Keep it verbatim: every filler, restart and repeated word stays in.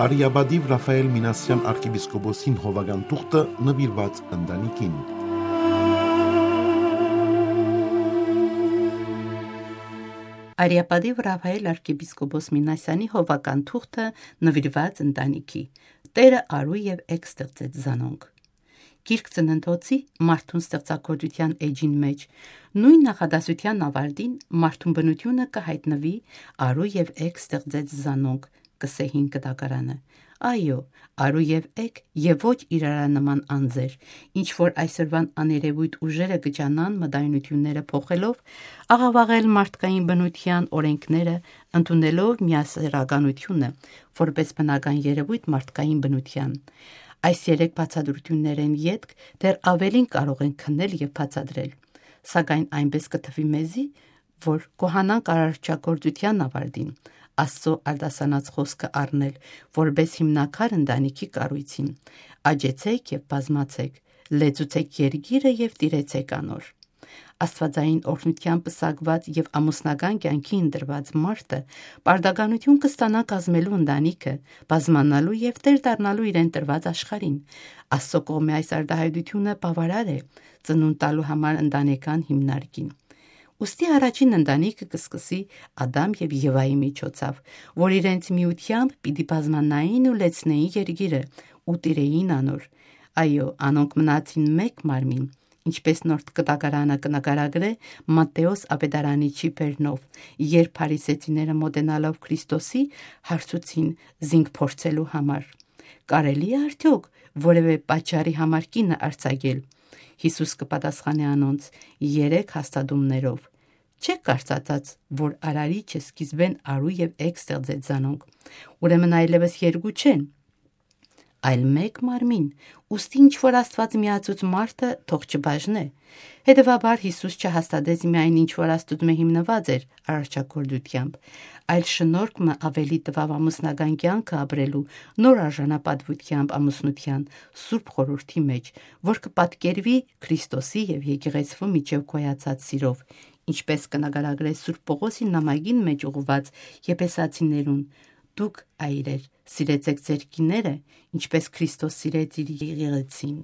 Արիապատիւ Ռաֆայել Մինասեան արքեպիսկոպոսին հովական թուղթը նուիրուած ընտանիքին։ Արիապատիւ Ռաֆայել արքեպիսկոպոս Մինասեանի հովական թուղթը նուիրուած ընտանիքի։ Տէրը արու եւ էգ ստեղծեց զանոնք։ Գիրք Ծննդոցի մարդուն ստեղծագործութեան էջին մէջ, նոյն նախադասութեան աւարտին մարդուն բնութիւնը կը յայտնուի. «Արու եւ էգ ստեղծեց զանոնք», կ'ըսէ հին կտակարանը։ Այո, արու եւ էգ եւ ոչ իրարանման անձեր, ինչ որ այսօրուան աներեւոյթ ուժերը կը ջանան մտայնութիւնները փոխելով, աղաւաղել մարդկային բնութեան օրէնքները, ընդունելով միասեռականությունը որպէս բնական երեւոյթ մարդկային բնութեան։ Այս երեք բացատրութիւններէն ետք դեռ աւելին կարող ենք քննել եւ բացատրել։ Սակայն այնպէս կը թուի մեզի, որ կ'ուհանանք արարչագործութեան աւարտին, Աստծոյ արտասանած խօսքը առնել որպէս հիմնաքար ընտանիքի կառոյցին. «Աճեցէք եւ բազմացէք, լեցուցէք երկիրը եւ տիրեցէք անոր»։ Աստուածային օրհնութեան պսակուած եւ ամուսնական կեանքի ընտրուած մարդը պարտականութիւն կը ստանայ կազմելու ընտանիքը, բազմանալու եւ տէր դառնալու իրեն տրուած աշխարհին։ Աստծոյ կողմէ այս արտայայտութիւնը բաւարար է ծնունդ տալու համար ընտանեկան հիմնարկին։ Ուստի առաջին ընտանիքը կը սկսի Ադամ եւ Եվայի միջոցով, որ իրենց միութեամբ պիտի բազմանային ու լեցնէին երկիրը ու տիրէին անոր։ Այո, անոնք մնացին մէկ մարմին, ինչպէս Նոր Կտակարանը կը նկարագրէ Մատթէոս Աւետարանիչի բերնով, երբ փարիսեցիները մօտենալով Քրիստոսի, հարցուցին զինք փորձելու համար. «Կարելի՞ է արդեօք որեւէ պատճառի համար կինը արձակել»։ Յիսուս կը պատասխանէ անոնց երեք հաստատումներով. «Չէ՞ք կարծացած, որ Արարիչը սկիզբէն արու եւ էգ ստեղծեց զանոնք։ Ուրեմն այլեւս երկու չեն, այլ մէկ մարմին, ուստի ինչ որ Աստուած միացուց մարդը թող չբաժնէ»։ Հետեւաբար Յիսուս չհաստատեց միայն ինչ որ Աստուծմէ հիմնուած էր արարչագործութեամբ, այլ շնորհք մը աւելի տուաւ ամուսնական կեանքը ապրելու նոր արժանապատուութեամբ ամուսնութեան Սուրբ Խորհուրդի մէջ, որ կը պատկերուի Քրիստոսի եւ եկեղեցւոյ միջեւ գոյացած սիրով, ինչպէս կը նկարագրէ Սուրբ Պողոսի նամակին մէջ ուղղուած Եփեսացիներուն. «Դուք, այրեր, սիրեցէք ձեր կիները, ինչպէս Քրիստոս սիրեց իր եկեղեցին»։